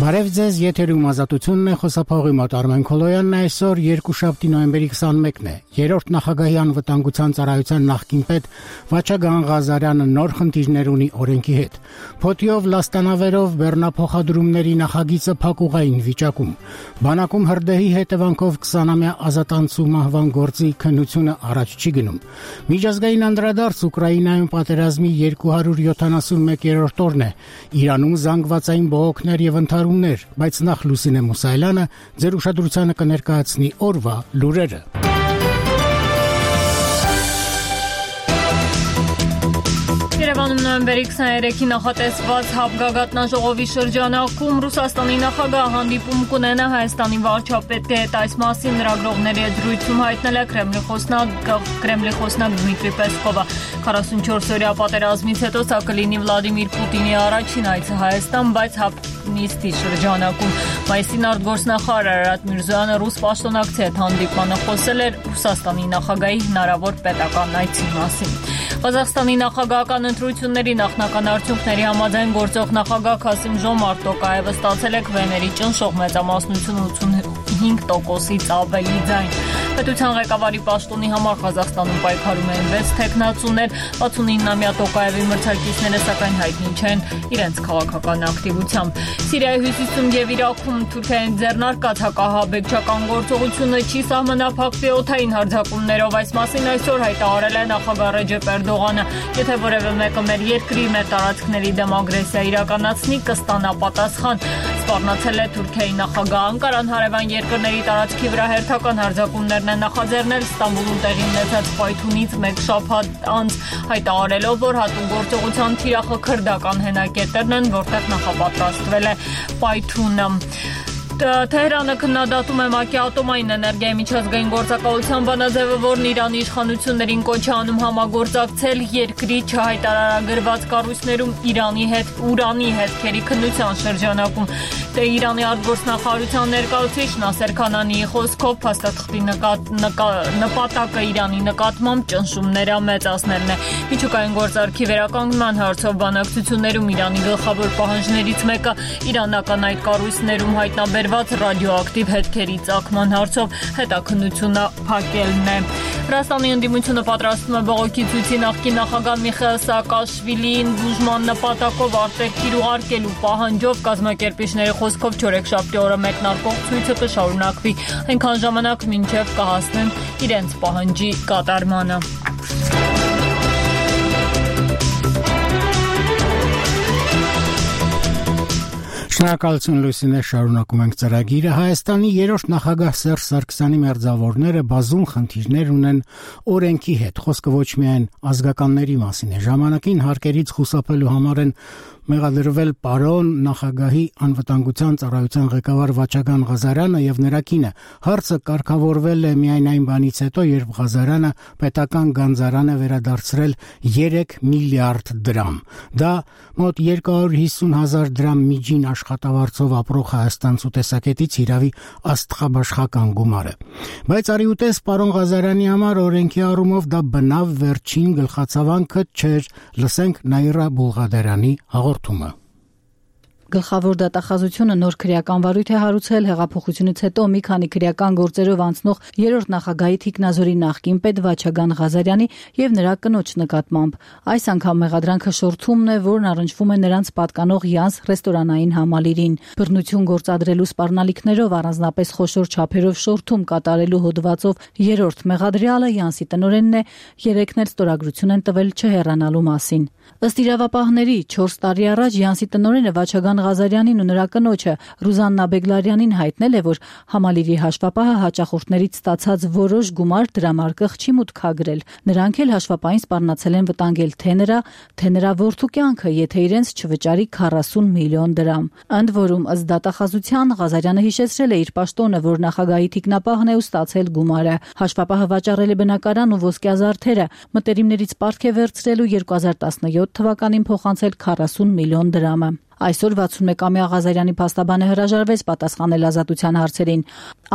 Բարև ձեզ, եթերում ազատությունն է, խոսափողի մոտ Արմեն Քոլոյանն այսօր երկուշաբթի նոյեմբերի 21-ն է։ Երրորդ նախագահի անվտանգության ծառայության նախկին պետ Վաչագան Ղազարյանը նոր խնդիրներ ունի օրենքի հետ։ Փոթիով լաստանավերով բեռնափոխադրումների նախագիծը փակուղային վիճակում։ Բանակում հրդեհի հետևանքով 20-ամյա ազատանցու մահվան գործի քննությունը առաջ չի գնում։ Միջազգային անդրադարձ Ուկրաինայում պատերազմի 271-րդ օրն է։ Իրանում զանգվածային բողոքներ եւ բայց նախ Լուսինե Մուսայելյանը ձեր ուշադրությանը կներկայացնի օրվա լուրերը։ Երևանում նոյեմբերի 23-ի նախատեսված հապգագաթնաժողովի շրջանակում Ռուսաստանի նախագահը հանդիպում կունենա Հայաստանի վարչապետի հետ, այս մասին լրագրողների հետ զրույցում հայտնել է Կրեմլի խոսնակ Դմիտրի Պեսկովը։ 44-օրյա պատերազմից հետո սա կլինի Վլադիմիր Պուտինի առաջին այցը Հայաստան, բայց նիստի շրջանակում Մայիսին արտգործնախարար Արարատ Միրզոյանը ռուս պաշտոնակցի հետ հանդիպմանը խոսել էր Ռուսաստանի նախագահի հնարավոր պետական այցի մասին։ Ղազախստանի նախագահական ընտրությունների նախնական արդյունքների համաձայն գործող նախագահ Քասիմ Ժոմարտ Տոկաևը ստացել է քվեների ճնշող մեծամասնություն 85%-ից ավելի ձայն։ Պետության ղեկավարի պաշտոնի համար Ղազախստանում պայքարում են 6 թեկնածուներ, 69-ամյա Տոկաևի մրցակիցները սակայն հայտնի չեն իրենց քաղաքական ակտիվությամբ։ Սիրիայի հյուսիսում եւ Իրաքում Թուրքիային ձեռնարկած հակահաբեկչական գործողությունը չի սահմանափակվի օդային հարձակումներով, այս մասին այսօր հայտարարել է նախագահ Ռեջեփ Էրդողանը։ Եթե որևէ մեկը մեր երկրի մեր տարածքների դեմ ագրեսիա իրականացնի, կստանա պատասխան, սպառնացել է Թուրքիայի նախագահը։ Անկարան հարևան երկրների տարածքի վրա հերթական հարձակումներն են նախաձեռնել Ստամբուլում տեղի ունեցած պայթունից մեկ շաբաթ անց, հայտարարելով, որ հատուկ գործողության թիրախը քրդական հենակետերն են, որտեղ նախապատրաստվել է պայթունը։ Թեհրանը քննադատում է ՄԱԿ-ի ատոմային էներգիայի միջազգային գործակալության բանաձևը, որն Իրանի իշխանություններին կոչ է անում համագործակցել երկրի չհայտարարագրված կառույցներում ուրանի հետքերի քննության շրջանակում։ Իրանի արտգործնախարարության ներկայացուցիչ Նասեր Քանանիի խոսքով փաստաթղթի նպատակը Իրանի նկատմամբ ճնշումները մեծացնելն է։ Միջուկային գործարքի վերականգնման հարցով բանակցություններում Իրանի գլխավոր պահանջներից մեկը իրանական այդ կառույցներում հայտնաբերված ռադիոակտիվ հետքերի ծագման հարցով հետաքննությունը փակելն է։ Վրաստանի ընդդիմությունը պատրաստվում է բողոքի ցույցի նախկին նախագահ Միխայիլ Սաակաշվիլիին բուժման նպատակով արտերկիր ուղարկելու պահանջով կազմակերպիչների խոսքով չորեքշաբթի օրը մեկնարկող ցույցը կշարունակվի այնքան ժամանակ, մինչև կհասնեն իրենց պահանջի կատարմանը։ Շնորհակալություն Լուսինե, շարունակում ենք ծրագիրը։ Հայաստանի երրորդ նախագահ Սերժ Սարգսյանի մերձավորները բազում խնդիրներ ունեն օրենքի հետ։ Խոսքը ոչ միայն ազգականների մասին է։ Ժամանակին հարկերից խուսափելու համար են մեղադրվել պարոն նախագահի անվտանգության ծառայության ղեկավար Վաչագան Ղազարյանը եւ նրա կինը։ Հարցը կարգավորվել է միայն այն բանից հետո, երբ Ղազարյանը պետական գանձարան է վերադարձրել 3 միլիարդ դրամ։ Դա մոտ 250,000 դրամ միջին աշխատավարձով ապրող հայաստանցու տեսակետից իրավի աստղաբաշխական գումար է։ Բայց արիուտես պարոն Ղազարյանի համար օրենքի առումով դա բնավ վերջին գլխացավանքը չէր։ Լսենք Նաիրա Բուլղադարյանի հաղորդումը։ Գլխավոր դատախազությունը նոր քրեական վարույթ է հարուցել հեղափոխությունից հետո մի քանի քրեական գործերով անցնող երրորդ նախագահի Թիկնազորի նախկին պետ Վաչագան Ղազարյանի եւ նրա կնոջ նկատմամբ։ Այս անգամ մեղադրանքը շորթումն է, որն առնչվում է նրանց պատկանող Յանս ռեստորանային համալիրին։ Բռնություն գործադրելու սպառնալիքներով առանձնապես խոշոր չափերով շորթում կատարելու հոդվածով երրորդ մեղադրյալը Յանսի տնօրենն է, երեքն էլ ստորագրություն են տվել չհեռանալու մասին։ Ըստ իրավապահների 4 տարի առաջ Յանսի տնօրենը Վաչագան Ղազարյանին ու նրա կնոջը Ռուզաննա Բեգլարյանին հայտնել է, որ համալիրի հաշվապահը հաճախորդներից ստացած որոշ գումար դրամարկղ չի մուտքագրել։ Նրանք էլ հաշվապահին սպառնացել են վտանգել թե նրա որդու կյանքը, եթե իրենց չվճարի 40 միլիոն դրամ։ Ընդ որում, ըստ դատախազության Ղազարյանը հիշեցրել է իր պաշտոնը, որ նախագահի թիկնապահն է ու ստացել գումարը։ Հաշվապահը վաճառել է բնակարան ու ոսկյա զարդերը, մտերիմներից պարտք է վերցրել ու 2017 թվականին փոխանցել 40 միլիոն դրամը։ Այսօր 61-ամյա Ղազարյանի փաստաբանը հրաժարվեց պատասխանել ազատության հարցերին։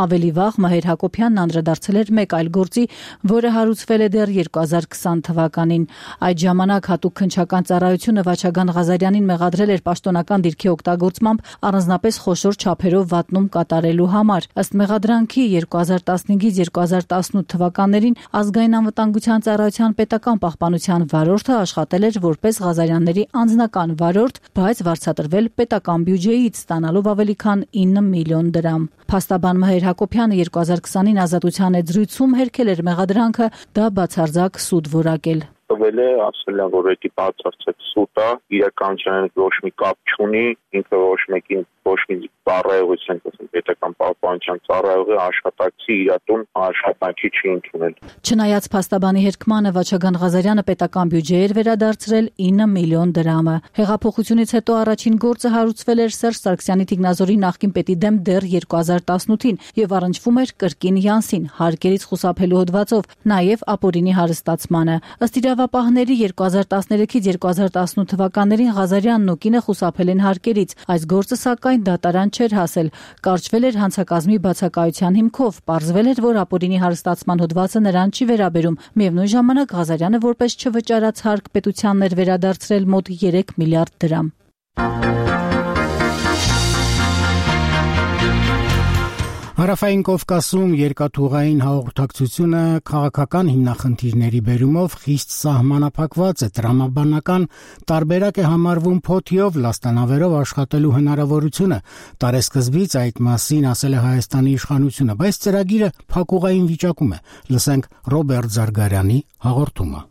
Ավելի վաղ Մհեր Հակոբյանն անդրադարձել էր մեկ այլ գործի, որը հարուցվել է դեռ 2020 թվականին։ Այդ ժամանակ հատուկ քննչական ծառայությունը Վաչագան Ղազարյանին մեղադրել էր պաշտոնական դիրքի օգտագործմամբ առանձնապես խոշոր չափերով վատնում կատարելու համար։ Ըստ մեղադրանքի 2015-ից 2018 թվականներին Ազգային անվտանգության ծառայության պետական պահպանության վարորդը աշխատել էր որպես Ղազարյանների անձնական վարորդ, բայց վարձատրվել պետական բյուջեից, ստանալով ավելի քան 9 միլիոն դրամ։ Փաստաբան Մհեր Հակոբյանը 2020-ին ազատության հետ զրույցում հերքել էր մեղադրանքը, դա բացարձակ սուտ որակել։ Տվել է, ասել են, որ դա բացարձակ սուտ է, իրականության ոչ մի կապ չունի, ինքը ոչ մի ծառայողություն, պետական պահպանության ծառայողի աշխատակցի իրատուն աշխատանքի չի ընդունել։ Չնայած փաստաբանի հերքմանը Վաչագան Ղազարյանը պետական բյուջե էր վերադարձրել 9 միլիոն դրամը։ Հեղափոխությունից հետո առաջին գործը հարուցվել էր Սերժ Սարգսյանի Տիկնազորի նախկին պետի դեմ դեռ 2018-ին եւ առնչվում էր կրկին Յանսին, հարկերից խուսափելու հոդվածով, նաեւ ապօրինի հարստացմանը։ Ըստ իրավապահների 2013-ից 2018 թվականներին Ղազարյանն ու կինը խուսափել են հարկերից։ Այս գործը սակայն դատարան չէր հասել։ Կարճվել էր հանցակազմի բացակայության հիմքով, պարզվել էր, որ ապօրինի հարստացման հոդվածը նրան չի վերաբերում։ Միևնույն ժամանակ Ղազարյանը որպես չվճարած հարկ պետությանն էր վերադարձրել մոտ 3 միլիարդ դրամ։ Հարավային Կովկասում երկաթուղային հաղորդակցությունը քաղաքական հիմնախնդիրների բերումով խիստ սահմանափակված է, տրամաբանական տարբերակ է համարվում փոթիով լաստանավերով աշխատելու հնարավորությունը։ Տարեսկզբից այդ մասին ասել է Հայաստանի իշխանությունը, բայց ծրագիրը փակուղային վիճակում է։ Լսենք Ռոբերտ Զարգարյանի հաղորդումը։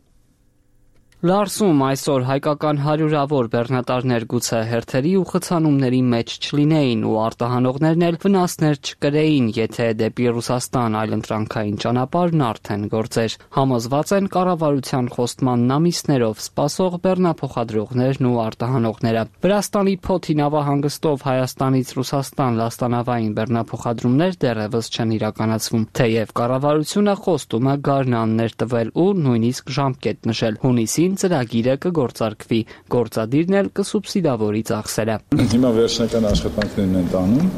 Լարսում այսօր հայկական հարյուրավոր բեռնատարներ գուցե հերթերի ու խցանումների մեջ չլինեին ու արտահանողներն էլ վնասներ չկրեին, եթե դեպի Ռուսաստան այլընտրանքային ճանապարհն արդեն գործեր։ Համոզված են կառավարության խոստման ամիսներով սպասող բեռնափոխադրողներն ու արտահանողները։ Վրաստանի Փոթի նավահանգստով Հայաստանից Ռուսաստան լաստանավային բեռնափոխադրումներ դեռևս չեն իրականացվում, թեև կառավարությունը խոստում է գարնաններ տվել ու նույնիսկ ժամկետ նշել։ Հունիսին ծրագիրը կգործարկվի, գործադիրն էլ կսուբսիդավորի ծախսերը։ Հիմա վերջնական աշխատանքներն են տանում,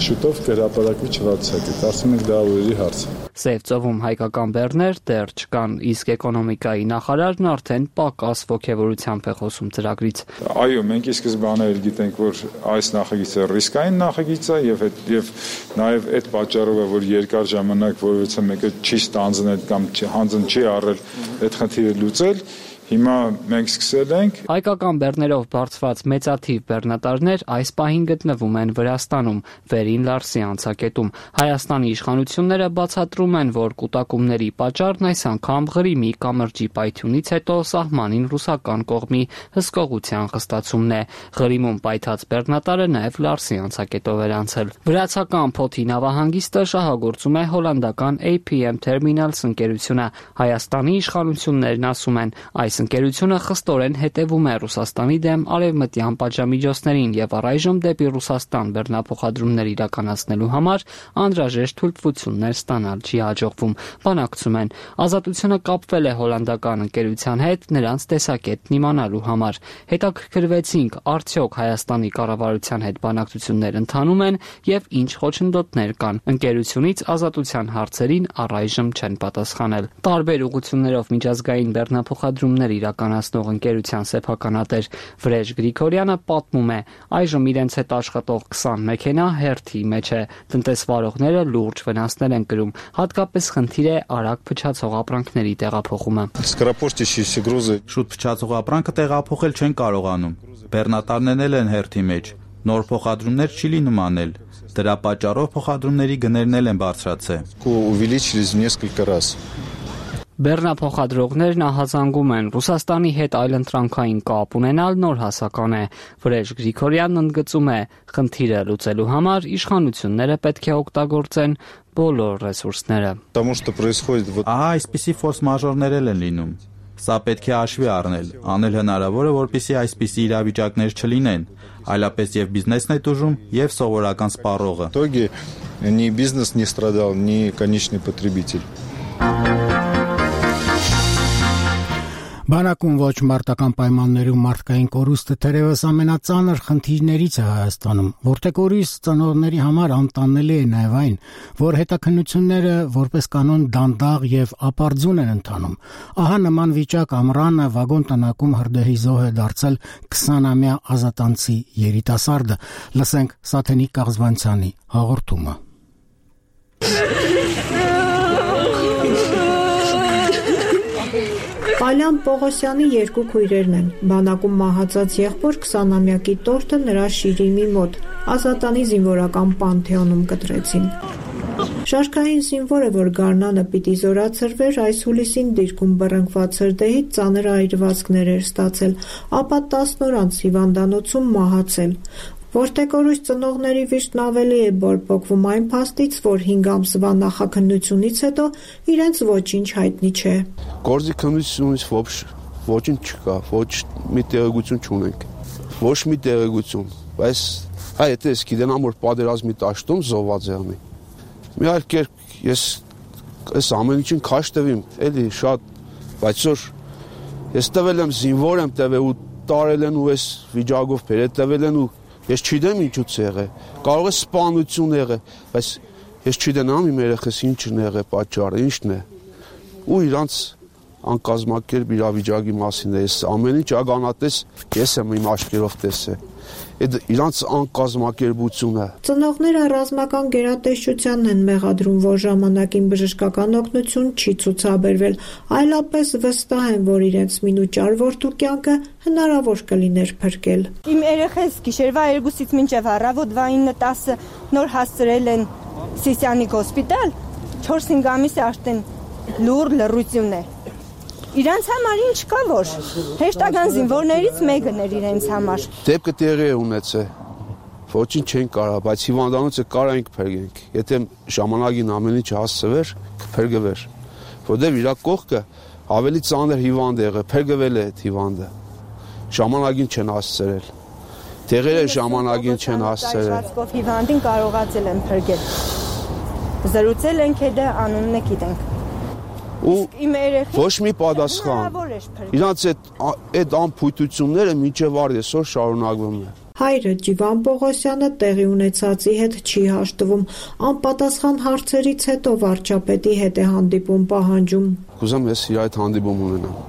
շուտով կհրապարակվի չվարձակը, կարծում ենք դա օրերի հարց է։ Սև ծովում հայկական բեռներ դեռ չկան, իսկ էկոնոմիկայի նախարարն արդեն պակաս ոգևորությամբ է խոսում ծրագրից։ Այո, մենք ի սկզբանե գիտենք, որ այս նախագիծը ռիսկային նախագիծ է եւ նաեւ այդ պատճառով է, որ երկար ժամանակ որևէ մեկը չի ստանձնել կամ հանձն չի առել այդ խնդիրը լուծել։ Հիմա մենք սկսել ենք։ Հայկական բեռներով բարձված մեծաթիվ բեռնատարներ այս պահին գտնվում են Վրաստանում, Վերին Լարսի անցակետում։ Հայաստանի իշխանությունները բացատրում են, որ կուտակումների պատճառն այս անգամ Ղրիմի կամրջի պայթյունից հետո սահմանին ռուսական կողմի հսկողության խստացումն է։ Ղրիմում պայթած բեռնատարը նաև Լարսի անցակետով էր անցել։ Վրացական Փոթի նավահանգիստը շահագործում է հոլանդական APM Terminals ընկերությունը։ Հայաստանի իշխանություններն ասում են, այս ընկերությունը խստորեն հետևում է Ռուսաստանի դեմ արևմտյան պատժամիջոցներին եւ առայժմ դեպի Ռուսաստան բեռնափոխադրումներ իրականացնելու համար անհրաժեշտ թույլտվություններ ստանալ չի հաջողվում։ Բանակցում են։ Ազատությունը կապվել է հոլանդական ընկերության հետ նրանց տեսակետն իմանալու համար։ Հետաքրքրվեցինք, արդյոք Հայաստանի կառավարության հետ բանակցություններ ընթանում են եւ ինչ խոչընդոտներ կան։ Ընկերությունից ազատության հարցերին առայժմ չեն պատասխանել։ Տարբեր ուղղություններով միջազգային բեռնափոխադրումներ իրականացնող ընկերության սեփականատեր Վրեժ Գրիգորյանը պատմում է, այժմ իրենց հետ աշխատող 20 մեքենա հերթի մեջ է, տնտեսվարողները լուրջ վնասներ են կրում, հատկապես խնդիր է արագ փչացող ապրանքների տեղափոխումը։ Շուտ փչացող ապրանքը տեղափոխել չեն կարողանում, բեռնատարներն են հերթի մեջ, նոր փոխադրումներ չի լինում անել, դրա պատճառով փոխադրումների գներն են բարձրացել։ Բեռնափոխադրողներն ահազանգում են Ռուսաստանի հետ այլընտրանքային կապ ունենալ նոր հասական է։ Վրեժ Գրիգորյանն ընդգծում է, խնդիրը լուծելու համար իշխանությունները պետք է օգտագործեն բոլոր ռեսուրսները։ Ահա այսպիսի ֆորս մաժորներ են լինում։ Սա պետք է հաշվի առնել, անել հնարավոր է, որպեսզի այսպիսի իրավիճակներ չլինեն, այլապես եւ բիզնեսն է տուժում, եւ սովորական սպառողը։ Ни бизнес не страдал, ни конечный потребитель։ Բանակում ոչ մարտական պայմաններում մարդկային կորուստը թերևս ամենածանր խնդիրներից է Հայաստանում, որտեղ կորուս ծնողների համար անտանելի է նաև այն, որ հետաքննությունները որպես կանոն դանդաղ եւ ապարդյուն են ընթանում։ Ահա նման վիճակ ամռանը վագոն տնակում հրդեհի զոհ է դարձել 20-ամյա ազատանցի երիտասարդը։ Լսենք Սաթենիկ Կաղզվանցյանի հաղորդումը։ Ալյան Պողոսյանի երկու քույրերն են։ Բանակում մահացած եղբոր 20-ամյակի տորթը նրա շիրիմի մոտ Ազատանի զինվորական պանթեոնում կտրեցին։ Շարքային զինվորը, որ գարնանը պիտի զորացրվեր, այս հուլիսին դիրքում բռնկված հրդեհից ծանր այրվածքներ էր ստացել, ապա 10 օր անց հիվանդանոցում մահացել։ Որտեղ կորուս ծնողների վիշտն ավելի է բորբոքվում այն փաստից, որ 5 ամսվա նախաքննությունից հետո իրենց ոչինչ հայտնի չէ։ Գործի քննությունից ոչինչ չկա, ոչ մի տեղեկություն չունենք, ոչ մի տեղեկություն, բայց եթե ես գիտենամ, որ պատերազմի տաշտում զոհված է անի, մի այլ կերպ ես այս ամեն ինչին քաշ տվիմ, էլի շատ, բայց որ ես տվել եմ զինվոր եմ տվել ու տարել են ու այս վիճակով բերել տվել են ու ես չգիտեմ ինչուց եղել, կարող է սպանություն եղել, բայց ես չգիտեմ իմ երեխես ինչն է եղել պատճառը, ինչն է։ Ու իրանց անկազմակերպ իրավիճակի մասին է, ես ամեն ինչ ականատես ես եմ իմ աչքերով տեսել։ Այդ իրանց անկազմակերպությունը։ Ծնողները ռազմական գերատեսչությանն են մեղադրում, որ ժամանակին բժշկական օգնություն չի ցուցաբերվել, այլապես վստահ են, որ իրենց մինուճար որդու կյանքը հնարավոր կլիներ փրկել։ Իմ երեխես գիշերվա 2-ից մինչև առավոտվա 9-10 նոր հասցրել են Սիսյանիկ հոսպիտալ, 4-5 ամիս է արդեն լուր լռություն է։ Իրանց համար ինչ կա, որ հեշտական զինվորներից մեկն էր իրենց համար։ Դեպքը տեղի է ունեցել, ոչինչ չեն կարող, բայց հիվանդանոցը կարայինք փրկենք։ Եթե ժամանակին ամեն ինչ հասցվեր, կփրկվեր։ Որտեղ իր կողքը ավելի ծանր հիվանդ է եղել, փրկվել է այդ հիվանդը։ Ժամանակին չեն հասցրել։ Տեղերը ժամանակին չեն հասցրել։ Հիվանդին կարողացել են փրկել։ Զրուցել ենք հետո անունն է գիտենք։ Ու ոչ մի պատասխան։ Իրանց այդ անփույթությունները մինչև այսօր շարունակվում է։ Հայրը Ջիվան Պողոսյանը տեղի ունեցածի հետ չի հաշտվում, անպատասխան հարցերից հետո վարչապետի հետ է հանդիպում պահանջում։ Կուզեմ ես իր այդ հանդիպում ունենամ։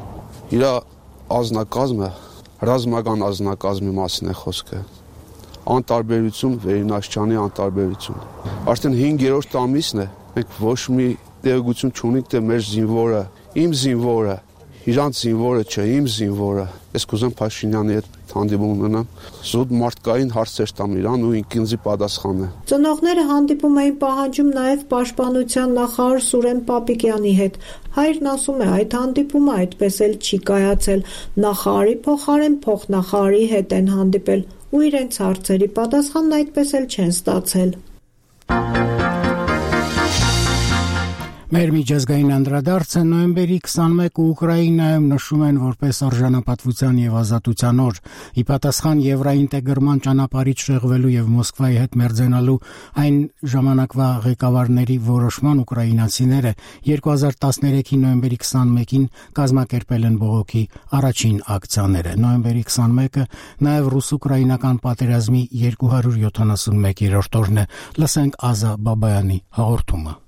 Իր ազնագազմը, ռազմական ազնագազմի մասին է խոսքը։ Անտարբերություն, Վերինաշչյանի անտարբերություն։ Արդեն 5-րդ ամիսն է, մենք ոչ մի տեղեկություն չունենք, թե մեր զինվորը, իմ զինվորը, իրանց զինվորը չէ, իմ զինվորը։ Ես կուզեմ Փաշինյանի հետ հանդիպում ունենամ, զուտ մարդկային հարցեր տամ իրան ու ինքնզի պատասխանը։ Ծնողները հանդիպում էին պահանջում նաև պաշտպանության նախարար Սուրեն Պապիկյանի հետ։ Հայրն ասում է, այդ հանդիպումը այդպես էլ չի կայացել։ Նախարարի փոխարեն փոխնախարարի հետ են հանդիպել ու իրենց հարցերի պատասխանն այդպես էլ չեն ստացել։ Մեր միջազգային անդրադարձը նոյեմբերի 21-ը Ուկրաինայում նշում են որպես արժանապատվության եւ ազատության օր։ Ի պատասխան եվրոինտեգրման ճանապարհից շեղվելու եւ Մոսկվայի հետ մերձենալու այն ժամանակվա ղեկավարների որոշման ուկրաինացիները 2013-ի նոյեմբերի 21-ին կազմակերպել են բողոքի առաջին ակցիաները։ Նոյեմբերի 21-ը նաեւ ռուս-ուկրաինական պատերազմի 271-րդ օրն է։ Լսենք Ազա Բաբայանի հաղորդումը։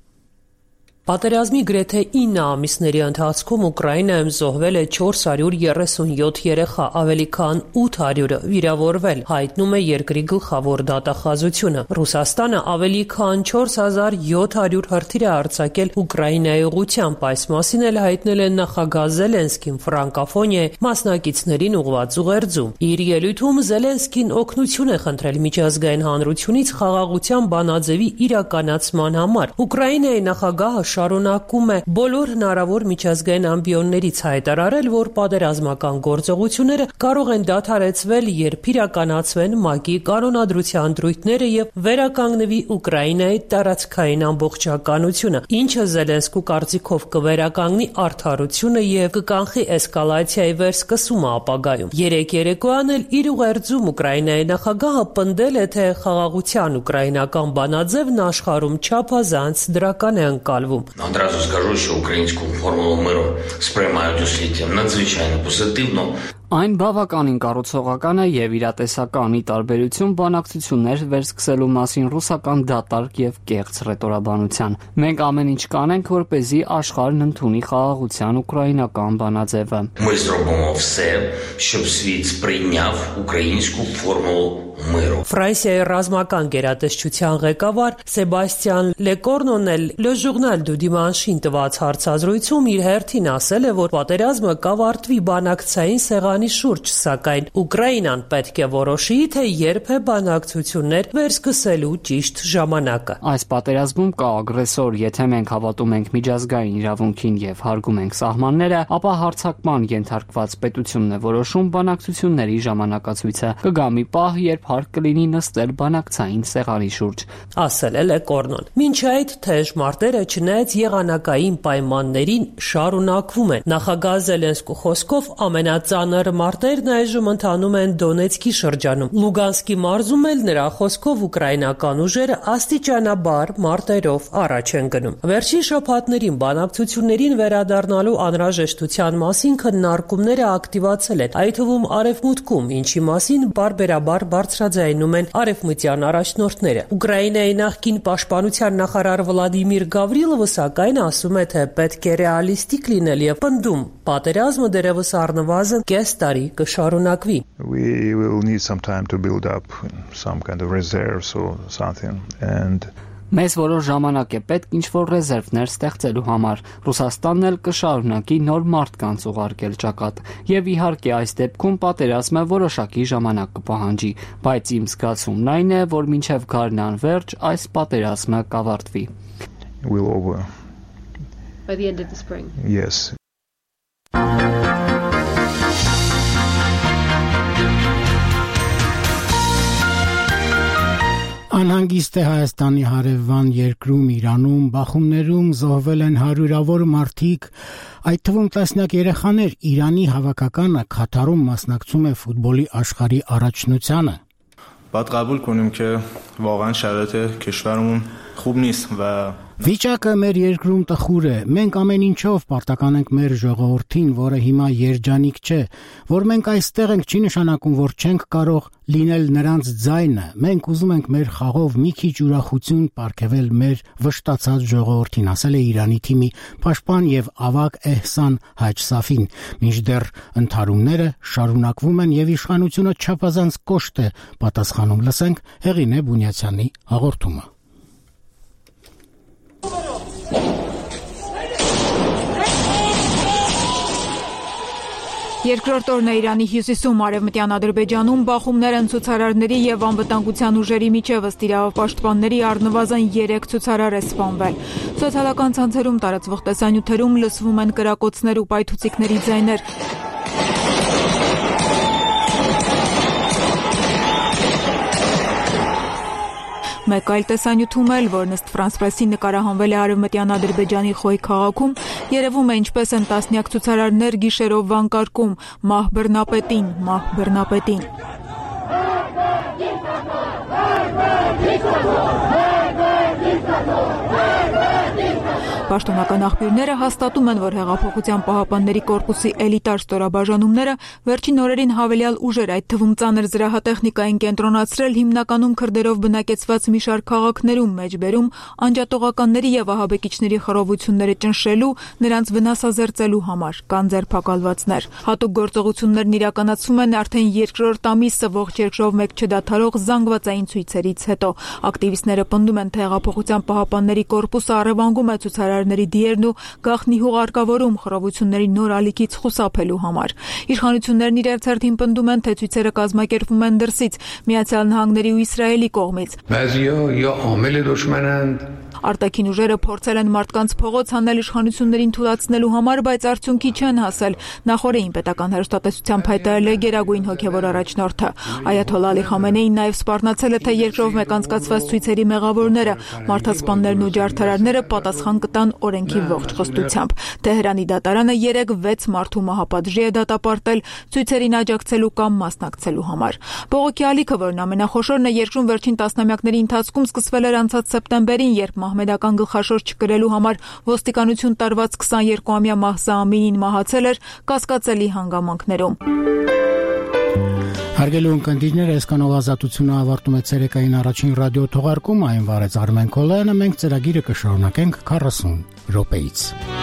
Պատերազմի գրեթե 9 ամիսների ընթացքում Ուկրաինայում զոհվել է 437 երեխա, ավելի քան 800-ը վիրավորվել, հայտնում է երկրի գլխավոր դատախազությունը։ Ռուսաստանը ավելի քան 4700 հրթիռ է արձակել Ուկրաինայի ուղղությամբ, այս մասին էլ հայտնել է նախագահ Զելենսկին ֆրանկոֆոնիա մասնակիցներին ուղղված ուղերձում։ Իր ելույթում Զելենսկին օգնություն է խնդրել միջազգային հանրությունից խաղաղության բանաձևի իրականացման համար։ Ուկրաինայի նախագահը շարունակում է բոլոր հնարավոր միջազգային ամբիոններից հայտարարել, որ պատերազմական գործողությունները կարող են դադարեցվել, երբ իրականացվեն ՄԱԿ-ի կանոնադրության դրույթները եւ վերականգնվի Ուկրաինայի տարածքային ամբողջականությունը, ինչը Զելենսկու կարծիքով կվերականգնի արդարությունը եւ կկանխի էսկալացիայի վերսկսումը ապագայում։ Երեկ երեկոյան էլ իր ուղերձում Ուկրաինայի նախագահը պնդել է, թե խաղաղության ուկրաինական բանաձևն աշխարհում չափազանց դրական է ընկալվում։ Одразу скажу, что украинскую формулу миру сприймають у світі надзвичайно позитивно. Այն բավականին կառուցողական է եւ իրատեսականի տարբերություն բանակցություններ վերսկսելու մասին ռուսական դատարկ եւ կեղծ ռետորաբանության։ Մենք ամեն ինչ կանենք, որպեսզի աշխարհն ընդունի խաղաղության ուկրաինական բանաձևը։ Ми зробимо все, щоб світ сприйняв українську формулу միրը։ Ֆրանսիայի ռազմական գերատեսչության ղեկավար Սեբաստիան Լեկորնոն էլ Le Journal du Dimanche-ին տված հարցազրույցում իր հերթին ասել է, որ պատերազմը կավարտվի բանակցային սեղանի շուրջ, սակայն Ուկրաինան պետք է որոշի, թե երբ է բանակցություններ վերսկսելու ճիշտ ժամանակը։ Այս պատերազմում կա ագրեսոր, եթե մենք հավատում ենք միջազգային իրավունքին եւ հարգում ենք սահմանները, ապա հարձակման ենթարկված պետությունն է որոշում բանակցությունների ժամանակացույցը։ Կգա մի պահ, երբ հարկ կլինի նստել բանակցային սեղանի շուրջ, ասել է Լեկորնոն։ Մինչ այդ թեժ մարտերը չնայած եղանակային պայմաններին շարունակվում են։ Նախագահ Զելենսկու խոսքով ամենածանր մարտերն այժմ ընթանում են Դոնեցկի շրջանում։ Լուգանսկի մարզում էլ նրա խոսքով ուկրաինական ուժերը աստիճանաբար մարտերով առաջ են գնում։ Վերջին շաբաթներին բանակցություններին վերադառնալու անհրաժեշտության մասին քննարկումները ակտիվացել են, այդ թվում արևմուտքում, ինչի մասին բարբերաբար բարձրաձայնում են արևմտյան առաջնորդները։ Ուկրաինայի նախկին պաշտպանության նախարար Վլադիմիր Գավրիլովը սակայն ասում է, թե պետք է ռեալիստիկ լինել եւ պնդում, պատերազմը դեռևս առնվազն կես տարի կշարունակվի։ We will need some time to build up some kind of reserves or something and Մեզ որոշ ժամանակ է պետք ինչ-որ ռեզերվներ ստեղծելու համար։ Ռուսաստանն էլ կշարունակի նոր մարդկանց ուղարկել ճակատ։ Եվ իհարկե այս դեպքում պատերազմը որոշակի ժամանակ կպահանջի, բայց իմ զգացումն այն է, որ մինչև գարնան վերջ այս պատերազմը կավարտվի։ will over. By the end of the spring. Yes. Անհանգիստ է Հայաստանի հարևան երկրում Իրանում բախումներում զոհվել են հարյուրավոր մարդիկ, այդ թվում տասնյակ երեխաներ։ Իրանի հավաքականը Քաթարում մասնակցում է ֆուտբոլի աշխարհի առաջնությանը։ باید قبول کنیم که واقعا شرایط کشورمون خوب نیست و Վիճակը մեր երկրում տխուր է։ Մենք ամեն ինչով պարտական ենք մեր ժողովրդին, որը հիմա երջանիկ չէ, որ մենք այստեղ ենք, չի նշանակում, որ չենք կարող լինել նրանց ձայնը։ Մենք ուզում ենք մեր խաղով մի քիչ ուրախություն պարգևել մեր վշտացած ժողովրդին, ասել է Իրանի թիմի պաշտպան եւ ավագ Էհսան Հաջսաֆին։ Մինչդեռ ընդհարումները շարունակվում են եւ իշխանությունը չափազանց կոշտ է պատասխանում։ Լսենք Հեղինե Բունյացյանի հաղորդումը։ Երկրորդ օրն է Իրանի հյուսիսում արևմտյան Ադրբեջանում բախումներ են ցուցարարների եւ անվտանգության ուժերի միջև ըստ իրավապաշտպանների առնվազն 3 ցուցարար է սպանվել։ Սոցիալական ցանցերում տարածվող տեսանյութերում լսվում են կրակոցներ ու պայթուցիկների ձայներ։ Մեկ այլ տեսանյութում էլ, որն ըստ France Press-ի նկարահանվել է արևմտյան Ադրբեջանի Խոյ քաղաքում, երևում է ինչպես են տասնյակ ցուցարարներ գիշերով վանկարկում «Մահ բռնապետին, մահ բռնապետին»։ Պաշտոնական աղբյուրները հաստատում են, որ Հեղափոխության պահապանների կորպուսի էլիտար ստորաբաժանումները վերջին օրերին հավելյալ ուժեր, այդ թվում ծանր զրահատեխնիկային կենտրոնացրել հիմնականում քրդերով բնակեցված մի շարք քաղաքներում, մեջբերում անջատողականների եւ ահաբեկիչների խռովությունները ճնշելու, նրանց վնասազերծելու համար կան ձերբակալվածներ։ Հատուկ գործողություններն իրականացվում են արդեն երկրորդ ամիսը ողջ երկրով մեկ չդադարող զանգվածային ցույցերից հետո։ Ակտիվիստները պնդում են, թե Հեղափոխության պահապանների կորպուսը առևանգում է ցուցարարների դիերն ու գաղտնի հուղարկավորում խռովությունների նոր ալիքից խուսափելու համար։ Իշխանություններն իրենց հերթին պնդում են, թե ցույցերը կազմակերպվում են դրսից, Միացյալ Նահանգների ու Իսրայելի կողմից։ Արտաքին ուժերը փորձել են մարդկանց փողոց հանել իշխանություններին թույլատնելու համար, բայց արդյունքի չեն հասել։ Նախորդին պետական հեռուստատեսությամբ հայտարարել է գերագույն հոգևոր առաջնորդը։ Այաթոլլա Ալի Խամենեին նաև սպառնացել է, թե երկրով մեկ անցկացված ցույցերի մեղավորները, մարդասպաններն ու ջարդարարները պատասխան կտան օրենքի ողջ խստությամբ։ Թեհրանի դատարանը 3-6 մարդու մահապատժի է դատապարտել ցույցերին աջակցելու կամ մասնակցելու համար։ Բողոքի ալիքը, որն ամենախոշորն է երկրում վերջին տասնամյակների ընթացքում, սկսվել էր անցած սեպտեմբերին, երբ մահմեդական գլխաշոր չկրելու համար ոստիկանություն տարված 22-ամյա Մահսա Ամինին մահացել էր կասկածելի հանգամանքներում։ Հարգելի ունկնդիրներ, այսքանով ազատությունը ավարտում է ցերեկային առաջին ռադիո թողարկումը, այն վարեց Արմեն Քոլյանը, մենք ծրագիրը կշարունակենք 40 րոպեից։